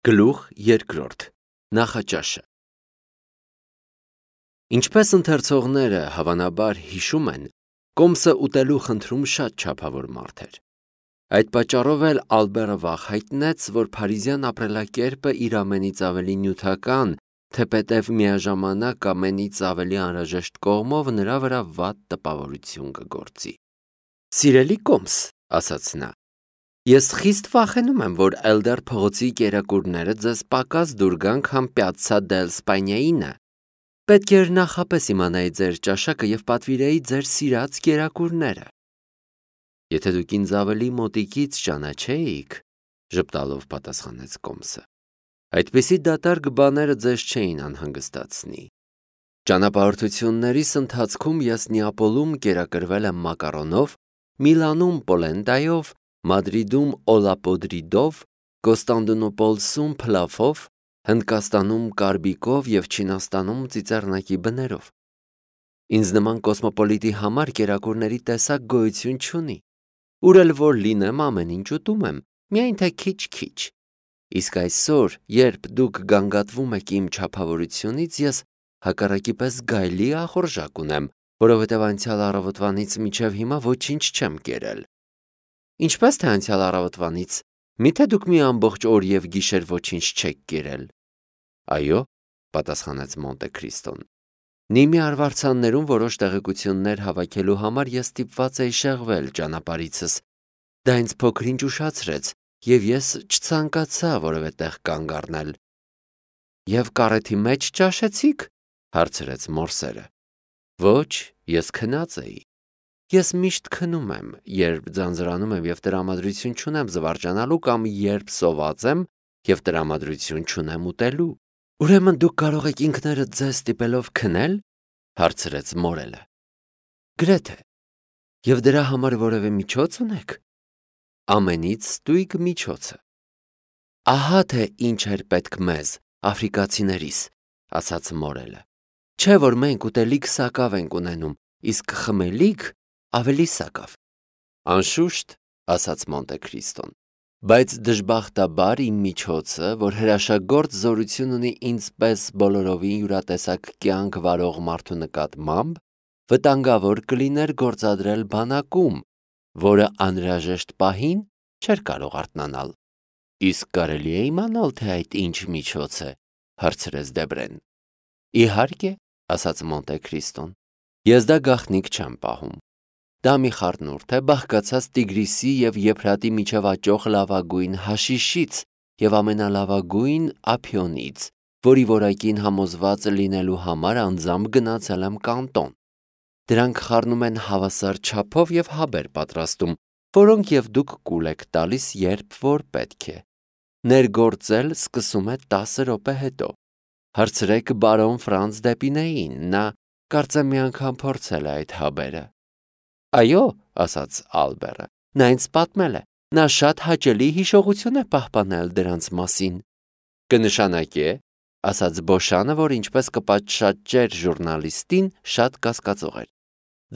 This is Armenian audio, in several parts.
Գլուխ երկրորդ. Նախաճաշը։ Ինչպես ընթերցողները հավանաբար հիշում են, կոմսը ուտելու խնդրում շատ չափավոր մարդ էր։ Այդ պատճառով էլ Ալբերը վաղ հայտնեց, որ փարիզյան ապրելակերպը իր ամենից ավելի նյութական, թեպետև միաժամանակ ամենից ավելի անհրաժեշտ կողմով նրա վրա վատ տպավորություն կգործի։ «Սիրելի կոմս», ասաց նա, «ես խիստ վախենում եմ, որ Էլդեր փողոցի կերակուրները ձեզ պակաս դուր գան, քան Պյացցա դել Սպանիայինը։ Պետք էր նախապես իմանայի ձեր ճաշակը և պատվիրեի ձեր սիրած կերակուրները»։ «Եթե դուք ինձ ավելի մոտիկից ճանաչեիք», ժպտալով պատասխանեց կոմսը, «այդպիսի դատարկ բաները ձեզ չէին անհանգստացնի։ Ճանապարհորդություններիս ընթացքում ես Նեապոլում կերակրվել եմ մակարոնով, Միլանում պոլենտայով, Մադրիդում օլապոդրիդով, Կոստանդնուպոլսում փլավով, Հնդկաստանում կարբիկով և Չինաստանում ծիծեռնակի բներով։ Ինձ նման կոսմոպոլիտի համար կերակուրների տեսակ գոյություն չունի։ Ուր էլ որ լինեմ, ամեն ինչ ուտում եմ, միայն թե քիչ-քիչ։ Իսկ այսօր, երբ դուք գանգատվում եք իմ չափավորությունից, ես հակառակի պես գայլի ախորժակ ունեմ, որովհետև անցյալ առավոտվանից մինչև հիմա ոչինչ չեմ կերել։ Ինչպես թե անցյալ առավոտվանից, միթե դուք մի ամբողջ օր և գիշեր ոչինչ չեք կերել։ Այո, պատասխանեց Մոնտե Քրիստոն։ Նիմի արվարձաններում որոշ տեղեկություններ հավաքելու համար ես ստիպված էի շեղվել ճանապարհիցս։ Դա ինձ փոքր-ինչ ուշացրեց, և ես չցանկացա որևէ տեղ կանգ առնել։ Եվ կարեթի մեջ ճաշեցի՞ք, հարցրեց մորսերը։ Ոչ, ես քնած էի։ Ես միշտ քնում եմ, երբ ձանձրանում եմ և տրամադրություն չունեմ զվարճանալու կամ երբ սոված եմ և տրամադրություն չունեմ ուտելու։ Ուրեմն դուք կարող եք ինքներդ ձեզ ստիպելով քնել, հարցրեց մորելը։ Գրեթե։ Եվ դրա համար որևէ միջոց ունեք։ Ամենից ստույգ միջոցը։ Ահա թե ինչ էր պետք մեզ, աֆրիկացիներիս, ասաց մորելը։ Չէ որ մենք ուտելիք սակավ ենք ունենում, իսկ խմելիք ավելի սակավ։ Անշուշտ, ասաց Մոնտե Քրիստոն, բայց դժբախտաբար իմ միջոցը, որ հրաշագործ զորություն ունի ինձ պես բոլորովին յուրատեսակ կյանք վարող մարդու նկատմամբ, վտանգավոր կլիներ գործադրել բանակում, որը անհրաժեշտ պահին չէր կարող արթնանալ։ Իսկ կարելի է իմանալ, թե այդ ինչ միջոց է, հարցրեց Դեբրեն։ Իհարկե, ասաց Մոնտե Քրիստոն, ես դա գաղտնիք չեմ պահում։ Դա մի խառնուրդ է բաղկացած Տիգրիսի և Եփրատի միջև աճող լավագույն հաշիշից և ամենալավագույն ափիոնից, որի որակին համոզված լինելու համար անձամբ գնացել եմ կանտոն։ Դրանք խառնում են հավասար չափով և հաբեր պատրաստում, որոնք և դուք կուլ եք տալիս, երբ որ պետք է։ Ներգործել սկսում է 10 րոպե հետո։ Հարցրեք բարոն Ֆրանց Դեպինեին, նա կարծեմ մի անգամ փորձել է այդ հաբերը։ Այո, ասաց Ալբերը, նա ինձ պատմել է, նա շատ հաճելի հիշողություն է պահպանել դրանց մասին։ Կնշանակե, ասաց Բոշանը, որ ինչպես կպատշաճեր ժուրնալիստին, շատ կասկածող էր։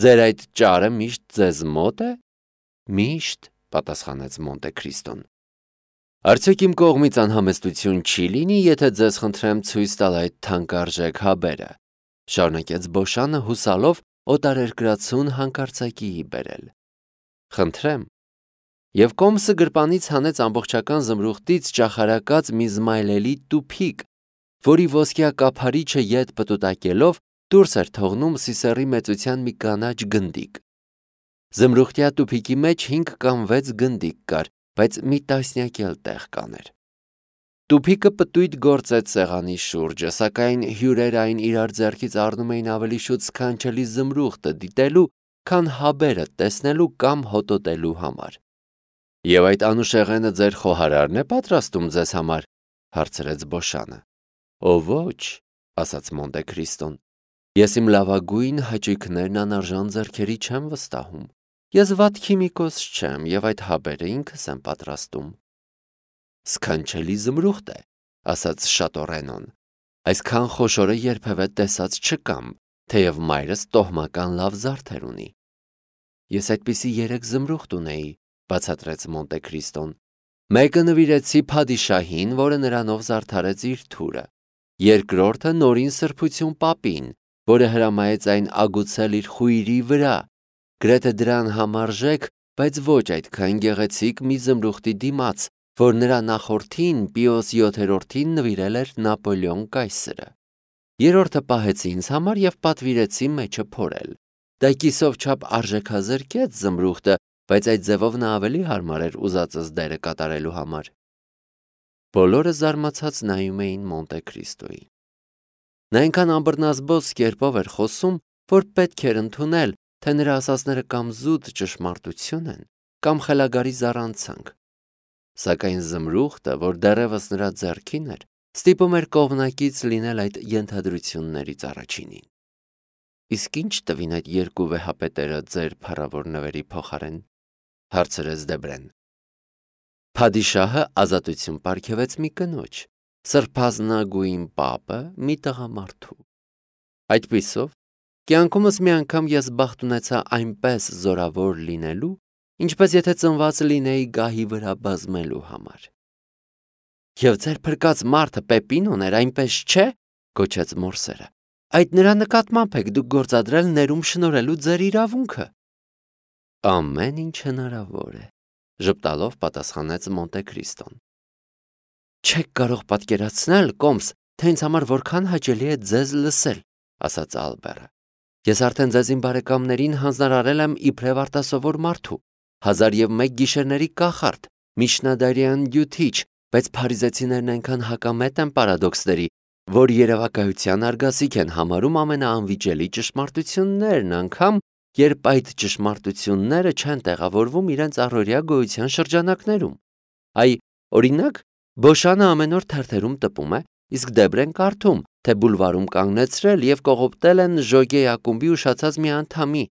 Ձեր այդ ճարը միշտ ձեզ մոտ է։ Միշտ, պատասխանեց Մոնտե Քրիստոն։ Արդյոք իմ կողմից անհամեստություն չի լինի, եթե ձեզ խնդրեմ ցույց տալ այդ թանկարժեք հաբերը, շարունակեց Բոշանը հուսալով օտարերկրացուն հանկարծակիի բերել։ Խնդրեմ։ Եվ կոմսը գրպանից հանեց ամբողջական զմրուխտից ճախարակած մի զմայլելի տուփիկ, որի ոսկյա կափարիչը ետ պտուտակելով դուրս էր թողնում սիսեռի մեծության մի կանաչ գնդիկ։ Զմրուխտյա տուփիկի մեջ 5 կամ 6 գնդիկ կար, բայց մի տասնյակ էլ տեղ կաներ։ Տուփիկը պտույտ գործեց սեղանի շուրջը, սակայն հյուրերը այն իրար ձեռքից առնում էին ավելի շուտ սքանչելի զմրուխտը դիտելու, քան հաբերը տեսնելու կամ հոտոտելու համար։ Եվ այդ անուշեղենը ձեր խոհարարն է պատրաստում ձեզ համար, հարցրեց Բոշանը։ Ո ոչ, ասաց Մոնտե Քրիստոն, ես իմ լավագույն հաճույքներն անարժան ձեռքերի չեմ վստահում։ Ես վատ քիմիկոս չեմ և այդ հաբերը ինքս եմ պատրաստում։ Սքանչելի զմրուխտ է, ասաց Շատորենոն։ Այսքան խոշորը երբևէ տեսած չկամ, թեև մայրս տոհմական լավ զարդեր ունի։ Ես այդպիսի 3 զմրուխտ ունեի, բացատրեց Մոնտե Քրիստոն։ Մեկը նվիրեցի Փադիշահին, որը նրանով զարդարեց իր թուրը։ Երկրորդը նորին սրբություն պապին, որը հրամայեց այն ագուցել իր խույրի վրա, գրեթե դրան համարժեք, բայց ոչ այդքան գեղեցիկ մի զմրուխտի դիմաց, որ նրա նախորդին Պիոս 7-րդին նվիրել էր Նապոլեոն կայսրը։ Երրորդը պահեցի ինձ համար և պատվիրեցի մեջը փորել։ Դա կիսով չափ արժեքազրկեց զմրուխտը, բայց այդ ձևով նա ավելի հարմար էր ուզածս դերը կատարելու համար։ Բոլորը զարմացած նայում էին Մոնտե Քրիստոյին։ Նա այնքան ամբռնազբոս կերպով էր խոսում, որ պետք էր ընդունել, թե նրա ասածները կամ զուտ ճշմարտություն են, կամ խելագարի զառանցանք։ Սակայն զմրուխտը, որ դեռևս նրա ձեռքին էր, ստիպում էր կողմնակից լինել այդ ենթադրություններից առաջինին։ Իսկ ինչ տվին այդ երկու վեհապետերը ձեր փառավոր նվերի փոխարեն, հարցրեց Դեբրեն։ Փադիշահը ազատություն պարգևեց մի կնոջ, սրբազնագույն պապը մի տղամարդու։ Այդպիսով, կյանքումս մի անգամ ես բախտ ունեցա այնպես զորավոր լինելու, ինչպես եթե ծնված լինեի գահի վրա բազմելու համար։ Եվ ձեր փրկած մարդը Պեպինոն էր, այնպես չէ, գոչեց Մորսերը։ Այդ նրա նկատմամբ եք դուք գործադրել ներում շնորհելու ձեր իրավունքը։ Ամեն ինչ հնարավոր է, ժպտալով պատասխանեց Մոնտե Քրիստոն։ Չեք կարող պատկերացնել, Կոմս, թե ինձ համար որքան հաճելի է ձեզ լսել, ասաց Ալբերը։ Ես արդեն ձեզ իմ բարեկամներին հանձնարարել եմ իբրև արտասովոր մարդու, 1001 գիշերների կախարդ, միջնադարյան դյութիչ, բայց փարիզեցիներն այնքան հակամետ են պարադոքսների, որ երևակայության արգասիք են համարում ամենաանվիճելի ճշմարտություններն, անգամ երբ այդ ճշմարտությունները չեն տեղավորվում իրենց առօրյա գոյության շրջանակներում։ Այ, օրինակ, Բոշանը ամեն օր թերթերում տպում է, իսկ Դեբրեն կարդում, թե բուլվարում կանգնեցրել և կողոպտել են Ժոգեի ակումբի ուշացած մի անդամի,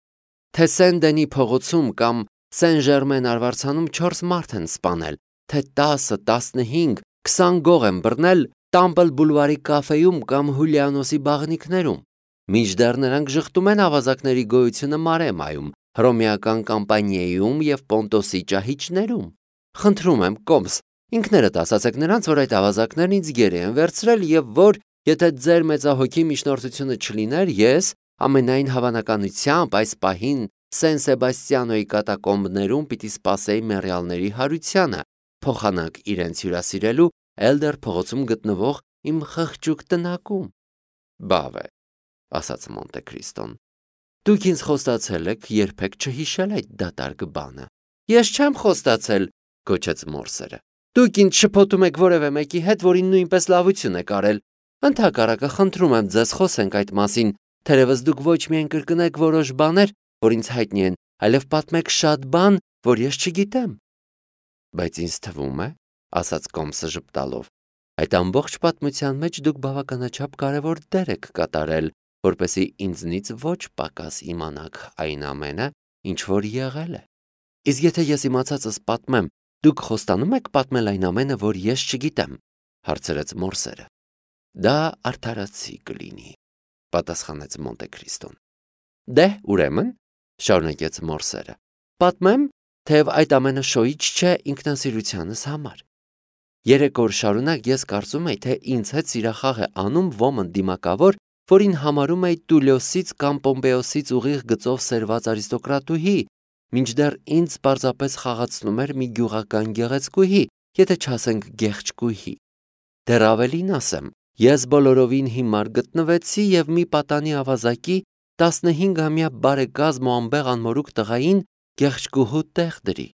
թե Սեն-Դենի փողոցում կամ Սեն-Ժերմեն արվարձանում 4 մարդ են սպանել, թե 10, 15, 20 գող են բռնել Տամպլ բուլվարի կաֆեում կամ Հուլիանոսի բաղնիքներում։ Մինչդեռ նրանք ժխտում են ավազակների գոյությունը Մարեմայում, հռոմեական Կամպանիայում և Պոնտոսի ճահիճներում։ Խնդրում եմ, Կոմս, ինքներդ ասացեք նրանց, որ այդ ավազակներն ինձ գերի են վերցրել և որ, եթե ձեր մեծահոգի միջնորդությունը չլիներ, ես ամենայն հավանականությամբ այս պահին Սեն Սեբաստիանոյի կատակոմբներում պիտի սպասեի մեռյալների հարությանը, փոխանակ իրենց հյուրասիրելու Էլդեր փողոցում գտնվող իմ խղճուկ տնակում։ Բավ է, ասաց Մոնտե Քրիստոն։ Դուք ինձ խոստացել եք երբեք չհիշել այդ դատարկ բանը։ Ես չեմ խոստացել, գոչեց Մորսերը։ Դուք ինձ շփոթում եք որևէ մեկի հետ, որին նույնպես լավություն եք արել։ Ընդհակառակը խնդրում եմ ձեզ խոսենք այդ մասին, թերևս դուք ոչ միայն կրկնեք որոշ բաներ, որ ինձ հայտնի են, այլև պատմեք շատ բան, որ ես չգիտեմ։ Բայց ինձ թվում է, ասաց Կոմսը ժպտալով, այդ ամբողջ պատմության մեջ դուք բավականաչափ կարևոր դեր եք կատարել, որպեսզի ինձնից ոչ պակաս իմանաք այն ամենը, ինչ որ եղել է։ Իսկ եթե ես իմացածս պատմեմ, դուք խոստանում եք պատմել այն ամենը, որ ես չգիտեմ, հարցրեց Մորսերը։ Դա արդարացի կլինի, պատասխանեց Մոնտե Քրիստոն։ Դե, ուրեմն, շարունակեց Մորսերը, պատմեմ, թեև այդ ամենը շոյիչ չէ ինքնասիրությանս համար։ 3 օր շարունակ ես կարծում էի, թե ինձ հետ սիրախաղ է անում ոմն դիմակավոր, որին համարում էի Տուլիոսից կամ Պոմպեոսից ուղիղ գծով սերված արիստոկրատուհի, մինչդեռ ինձ պարզապես խաղացնում էր մի գյուղական գեղեցկուհի, եթե չասենք գեղչկուհի։ Դեռ ավելին ասեմ, ես բոլորովին հիմար գտնվեցի և մի պատանի ավազակի 15-ամյա բարեկազմ ու անբեղ անմորուք տղային գեղչկուհու տեղ դրի։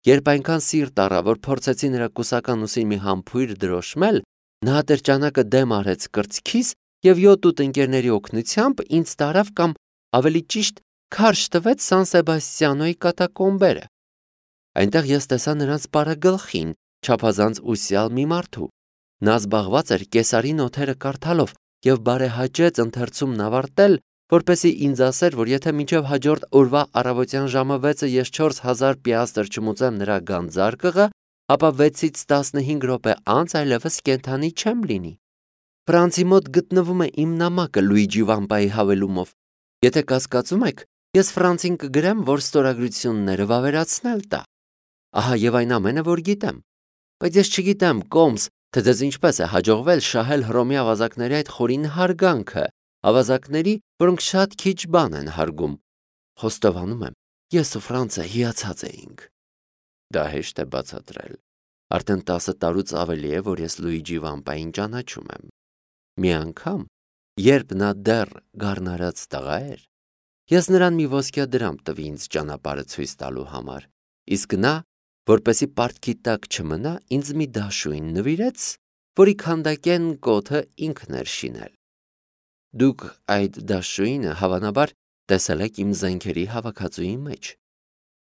Երբ այնքան սիրտ առա, որ փորձեցի նրա կուսական ուսին մի համբույր դրոշմել, նա ատրճանակը դեմ արեց կրծքիս և 7-8 ընկերների օգնությամբ ինձ տարավ կամ ավելի ճիշտ քարշ տվեց Սան Սեբաստիանոյի կատակոմբերը։ Այնտեղ ես տեսա նրանց պարագլխին, չափազանց ուսյալ մի մարդու։ Նա զբաղված էր կեսարի նոթերը կարդալով և բարեհաճեց ընթերցումն ավարտել, որպեսզի ինձ ասեր, որ եթե մինչև հաջորդ օրվա առավոտյան ժամը 6-ը ես 4000 պիաստր չմուծեմ նրա գանձարկղը, ապա 6-ից 15 րոպե անց այլևս կենդանի չեմ լինի։ Ֆրանցի մոտ գտնվում է իմ նամակը Լուիջի Վամպայի հավելումով։ Եթե կասկածում եք, ես Ֆրանցին կգրեմ, որ ստորագրությունները վավերացնել տա։ Ահա եւ այն ամենը, որ գիտեմ։ բայց ես չգիտեմ, Կոմս, թե ձեզ ինչպես է հաջողվել շահել Հռոմի ավազակների այդ խորին հարգանքը, ավազակների, որոնք շատ քիչ բան են հարգում։ Խոստովանում եմ, ես ու Ֆրանցը հիացած էինք։ Դա հեշտ է բացատրել։ Արդեն 10 տարուց ավելի է, որ ես Լուիջի Վամպային ճանաչում եմ։ Մի անգամ, երբ նա դեռ գառնարած տղա էր, ես նրան մի ոսկյա դրամ տվի ինձ ճանապարհը ցույց տալու համար, իսկ նա, որպեսի պարտքի տակ չմնա, ինձ մի դաշույն նվիրեց, որի քանդակեն կոթը ինքն էր շինել։ Դուք այդ դաշույնը հավանաբար տեսել եք իմ զենքերի հավաքածուի մեջ։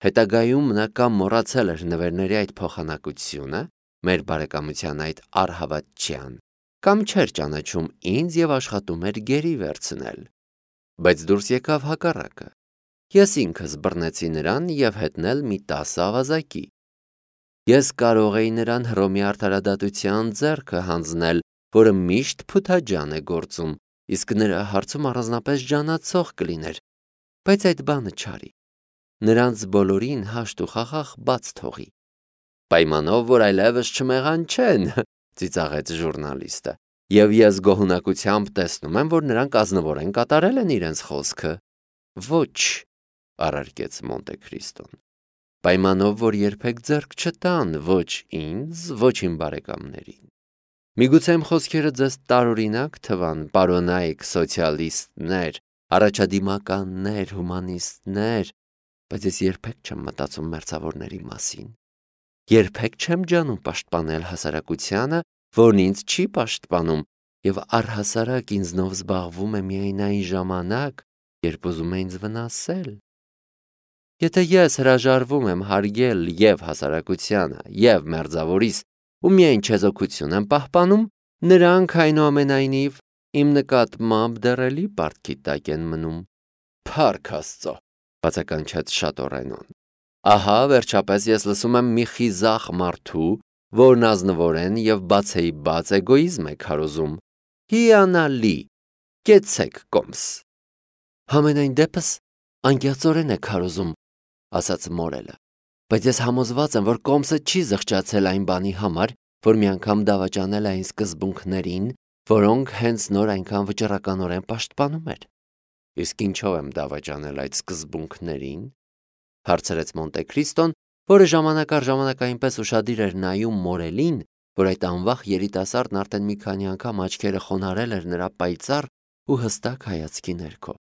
Հետագայում նա կամ մոռացել էր նվերների այդ փոխանակությունը, մեր բարեկամության այդ առհավատչյան, կամ չէր ճանաչում ինձ եւ աշխատում էր գերի վերցնել։ Բայց դուրս եկավ հակառակը։ Ես ինքս բռնեցի նրան եւ հետնել մի 10 ավազակի։ Ես կարող էի նրան Հռոմի արդարադատության ձեռքը հանձնել, որը միշտ փութաջան է գործում, իսկ նրա հարցում առանձնապես ջանացող կլիներ, բայց այդ բանը չարի։ Նրանց բոլորին հաշտ ու խաղաղ բաց թողի։ Պայմանով, որ այլևս չմեղանչեն, ծիծաղեց ժուրնալիստը, եւ ես գոհունակությամբ տեսնում եմ, որ նրանք ազնվորեն կատարել են իրենց խոսքը։ Ոչ, առարկեց Մոնտե Քրիստոն։ Պայմանով, որ երբեք ձեռք չտան ոչ ինձ, ոչ իմ բարեկամներին։ Միգուցե իմ խոսքերը ձեզ տարօրինակ թվան, պարոնայք սոցիալիստներ, առաջադիմականներ, հումանիստներ, բայց ես երբեք չեմ մտածում մերձավորների մասին։ Երբեք չեմ ջանում պաշտպանել հասարակությանը, որն ինձ չի պաշտպանում, եւ առհասարակ ինձնով զբաղվում է միայն այն ժամանակ, երբ ուզում է ինձ վնասել։ Եթե ես հրաժարվում եմ հարգել եւ հասարակությանը, եւ մերձավորիս, ու միայն չեզոքություն եմ պահպանում, նրանք այնուամենայնիվ իմ նկատմամբ դեռելի պարտքի տակ են մնում։ Փառք Աստծո, բացականչեց Շատորենոն։ Ահա վերջապես ես լսում եմ մի խիզախ մարդու, որն ազնվորեն եւ բացեի բաց էգոիզմ է քարոզում։ Հիանալի, կեցեք Կոմս։ Համենայն դեպս անկեղծորեն է քարոզում, ասաց Մորելը, բայց ես համոզված եմ, որ Կոմսը չի զղջացել այն բանի համար, որ մի անգամ դավաճանել է այն սկզբունքներին, որոնք հենց նոր այնքան վճռականորեն պաշտպանում էր։ Իսկ ինչով եմ դավաճանել այդ սկզբունքներին, հարցրեց Մոնտե Քրիստոն, որը ժամանակ առ ժամանակ այնպես ուշադիր էր նայում Մորելին, որ այդ անվախ երիտասարդն արդեն մի քանի անգամ աչքերը խոնարհել էր նրա պայծառ ու հստակ հայացքի ներքո։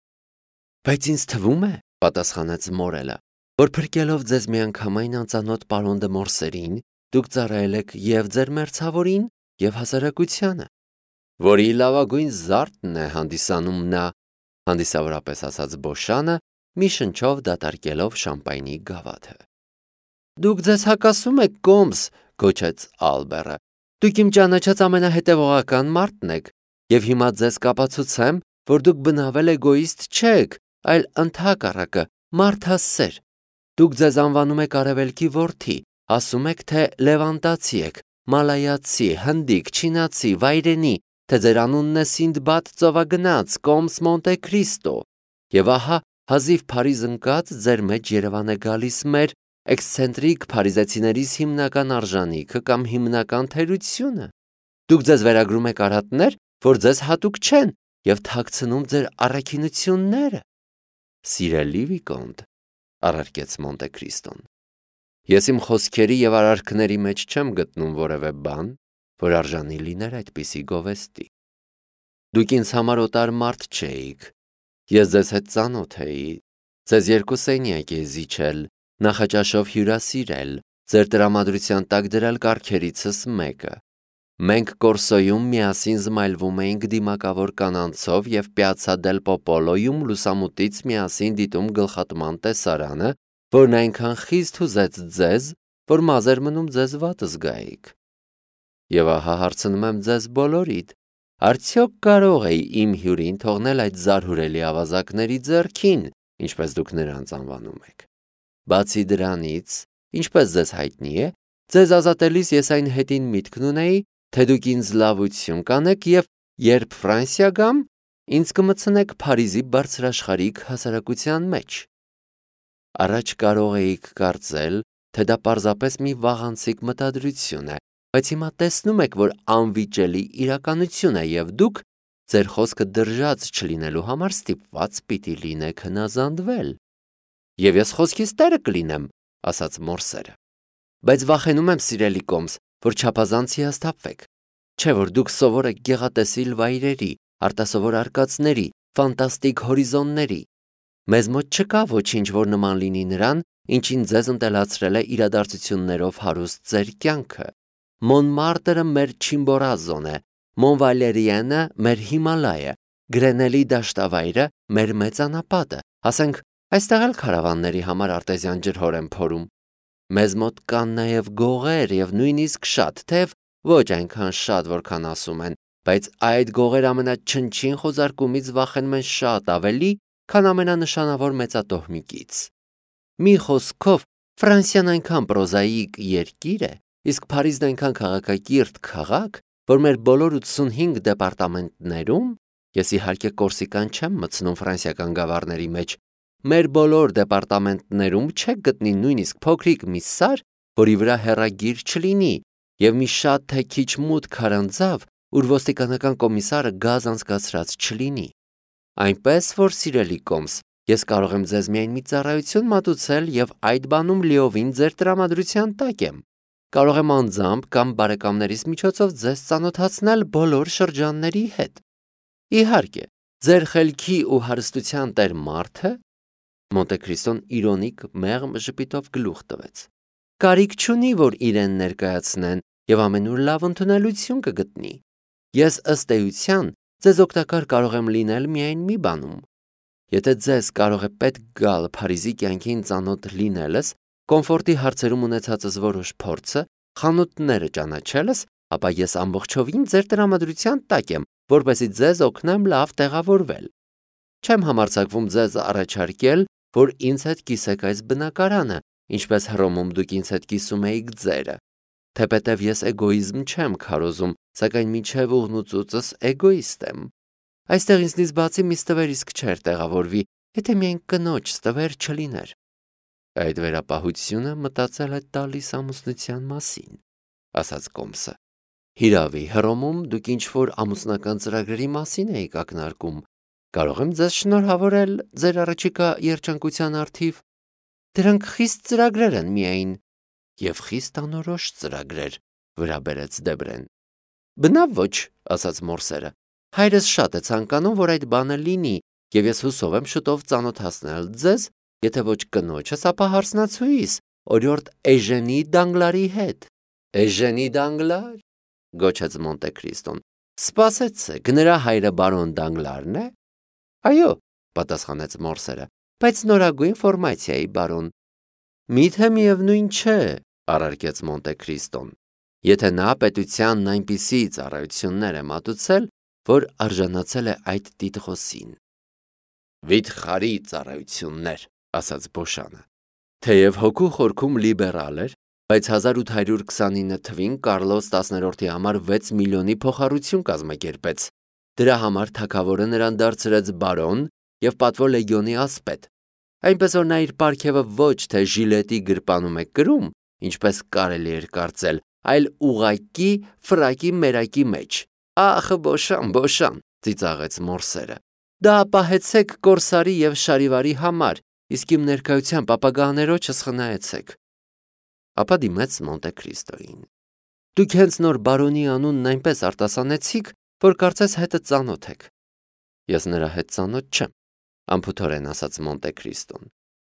Բայց ինձ թվում է, պատասխանեց Մորելը, որ փրկելով ձեզ միանգամայն անծանոթ պարոն դե Մորսերին, դուք ծառայել եք եւ ձեր մերձավորին եւ հասարակությանը, որի լավագույն զարդն է հանդիսանում նա, հանդիսավորապես ասաց Բոշանը, մի շնչով դատարկելով շամպայնի գավաթը։ Դուք ձեզ հակասում եք Կոմս, գոչեց Ալբերը։ Դուք իմ ճանաչած ամենահետևողական մարդն եք, եւ հիմա ձեզ կապացուցեմ, որ դուք բնավել էգոիստ չեք, այլ ընդհակառակը մարդասեր։ Դուք ձեզ անվանում եք արևելքի որդի, ասում եք, թե լևանտացի եք, մալայացի, հնդիկ, չինացի, վայրենի, թե ձեր անունն է Սինդբադ ծովագնաց, Կոմս Մոնտե Քրիստո, եւ ահա հազիվ Փարիզ ընկած ձեր մեջ Երևան է գալիս մեր էքսցենտրիկ փարիզեցիներիս հիմնական արժանիքը կամ հիմնական թերությունը։ Դուք ձեզ վերագրում եք արհատներ, որ ձեզ հատուկ չեն, եւ թաքցնում ձեր առաքինությունները։ Սիրելի Վիկոնտ, առարկեց Մոնտե Քրիստոն, ես իմ խոսքերի եւ արարքների մեջ չեմ գտնում որևէ բան, որ արժանի լիներ այդպիսի գովեստի։ Դուք ինձ համար օտար մարդ չէիք, ես ձեզ հետ ծանոթ էի, ձեզ երկու սենյակ է զիջել, նախաճաշով հյուրասիրել, ձեր տրամադրության տակ դրել կառքերիցս մեկը։ Մենք Կորսոյում միասին զմայլվում էինք դիմակավոր կանանցով եւ Պիացցա դել Պոպոլոյում լուսամուտից միասին դիտում գլխատման տեսարանը, որն այնքան խիստ հուզեց ձեզ, որ մազ էր մնում ձեզ վատ զգայիք։ Եվ ահա հարցնում եմ ձեզ բոլորիդ, արդյոք կարող էի իմ հյուրին թողնել այդ զարհուրելի ավազակների ձեռքին, ինչպես դուք նրանց անվանում եք։ Բացի դրանից, ինչպես ձեզ հայտնի է, ձեզ ազատելիս ես այն հետին միտքն ունեի, թե դուք ինձ լավություն կանեք եւ երբ Ֆրանսիա գամ, ինձ կմտցնեք Փարիզի բարձրաշխարհիկ հասարակության մեջ։ Առաջ կարող էիք կարծել, թե դա պարզապես մի վաղանցիկ մտադրություն է, բայց հիմա տեսնում եք, որ անվիճելի իրականություն է եւ դուք ձեր խոսքը դրժած չլինելու համար ստիպված պիտի լինեք հնազանդվել։ Եվ ես խոսքիս տերը կլինեմ, ասաց մորսերը։ Բայց վախենում եմ, սիրելի կոմս, որ չափազանց հիասթափվեք։ Չէ՞ որ դուք սովոր եք գեղատեսիլ վայրերի, արտասովոր արկածների, ֆանտաստիկ հորիզոնների։ Մեզ մոտ չկա ոչինչ, որ նման լինի նրան, ինչին ձեզ ընտելացրել է իրադարձություններով հարուստ ձեր կյանքը։ Մոնմարտերը մեր Չիմբորազոն է, Մոնվալերիենը մեր Հիմալայը, Գրենելի դաշտավայրը մեր մեծ անապատը, ասենք այստեղ էլ քարավանների համար արտեզյան ջրհոր են փորում։ Մեզ մոտ կան նաև գողեր եւ նույնիսկ շատ, թեև ոչ այնքան շատ, որքան ասում են, բայց այդ գողեր ամենաչնչին խոզարկումից վախենում են շատ ավելի, քան ամենանշանավոր մեծատոհմիկից։ Մի խոսքով, Ֆրանսիան այնքան պրոզաիկ երկիր է, իսկ Փարիզն այնքան քաղաքակիրթ քաղաք, որ մեր բոլոր 85 դեպարտամենտներում, ես իհարկե Կորսիկան չեմ մտցնում ֆրանսիական գավառների մեջ, մեր բոլոր դեպարտամենտներում չեք գտնի նույնիսկ փոքրիկ մի սար, որի վրա հեռագիր չլինի, եւ մի շատ թե քիչ մութ քարանձավ, ուր ոստիկանական կոմիսարը գազ անցկացրած չլինի։ Այնպես որ, սիրելի կոմս, ես կարող եմ ձեզ միայն մի ծառայություն մատուցել եւ այդ բանում լիովին ձեր տրամադրության տակ եմ։ Կարող եմ անձամբ կամ բարեկամներիս միջոցով ձեզ ծանոթացնել բոլոր շրջանների հետ։ Իհարկե, ձեր խելքի ու հարստության տեր մարդը, Մոնտեքրիստոն իրոնիկ մեղմ ժպիտով գլուխ տվեց, կարիք չունի, որ իրեն ներկայացնեն եւ ամենուր լավ ընդունելություն կգտնի։ Ես ըստ էության ձեզ օգտակար կարող եմ լինել միայն մի բանում։ Եթե ձեզ կարող է պետք գալ Փարիզի կյանքին ծանոթ լինելս, կոմֆորտի հարցերում ունեցածս որոշ փորձը, խանութները ճանաչելս, ապա ես ամբողջովին ձեր տրամադրության տակ եմ, որպեսզի ձեզ օգնեմ լավ տեղավորվել։ Չեմ համարձակվում ձեզ առաջարկել, որ ինձ հետ կիսեք այս բնակարանը, ինչպես Հռոմում դուք ինձ հետ կիսում էիք ձերը։ Թեպետև ես էգոիզմ չեմ քարոզում, սակայն մինչև ուղնուծուծս էգոիստ եմ։ Այստեղ ինձնից բացի մի ստվեր իսկ չէր տեղավորվի, եթե միայն կնոջ ստվեր չլիներ։ Այդ վերապահությունը մտածել է տալիս ամուսնության մասին, ասաց կոմսը։ Հիրավի, Հռոմում դուք ինչ-որ ամուսնական ծրագրերի մասին էիք ակնարկում։ Կարող եմ ձեզ շնորհավորել ձեր առաջիկա երջանկության առթիվ։ Դրանք խիստ ծրագրեր են միայն, եւ խիստ անորոշ ծրագրեր, վրա բերեց Դեբրեն։ Բնավ ոչ, ասաց մորսերը։ Հայրս շատ է ցանկանում, որ այդ բանը լինի, եւ ես հուսով եմ շուտով ծանոթացնել ձեզ, եթե ոչ կնոջս, ապա հարսնացուիս, օրիորդ Էժենի Դանգլարի հետ։ Էժենի Դանգլար, գոչեց Մոնտեքրիստոն։ Սպասեցեք, նրա հայրը բարոն Դանգլարն է։ Այո, պատասխանեց մորսերը, բայց նորագույն ֆորմացիայի բարոն։ Միթե միևնույն չէ, առարկեց Մոնտեքրիստոն, եթե նա պետությանն այնպիսի ծառայություններ է մատուցել, որ արժանացել է այդ տիտղոսին։ Վիթխարի ծառայություններ, ասաց Բոշանը։ Թեև հոգու խորքում լիբերալ էր, բայց 1829 թվին Կարլոս 10-րդի համար 6 միլիոնի փոխառություն կազմակերպեց։ Դրա համար թագավորը նրան դարձրեց բարոն եւ պատվո լեգիոնի ասպետ։ Այնպես որ նա իր պարգևը ոչ թե ժիլետի գրպանում է կրում, ինչպես կարելի էր կարծել, այլ ուղակի ֆրակի մերակի մեջ։ Ախ, Բոշան, ծիծաղեց մորսերը։ Դա պահեցեք կորսարի եւ շարիվարի համար, իսկ իմ ներկայությամբ ապագաներոջս խնայեցեք։ Ապա դիմեց Մոնտեքրիստոին։ Դուք հենց նոր բարոնի անունն այնպես արտասանեցիք, որ կարծես հետը ծանոթ եք։ Ես նրա հետ ծանոթ չեմ, անփութորեն ասաց Մոնտեքրիստոն,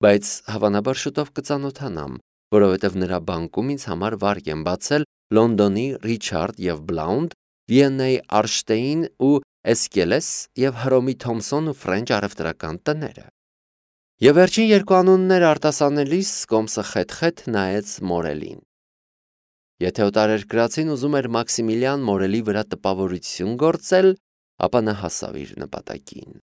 բայց հավանաբար շուտով կծանոթանամ, որովհետև նրա բանկում ինձ համար վարկ եմ բացել Լոնդոնի Ռիչարդ եւ Բլաունդ, Վիեննայի Արշտեին ու Էսկելես եւ Հռոմի Թոմսոն ու Ֆրենչ առևտրական տները։ Եվ վերջին երկու անունները արտասանելիս կոմսը խեթ-խեթ նայեց Մորելին։ Եթե օտարերկրացին ուզում էր Մաքսիմիլիան Մորելի վրա տպավորություն գործել, ապա նա հասավ իր նպատակին։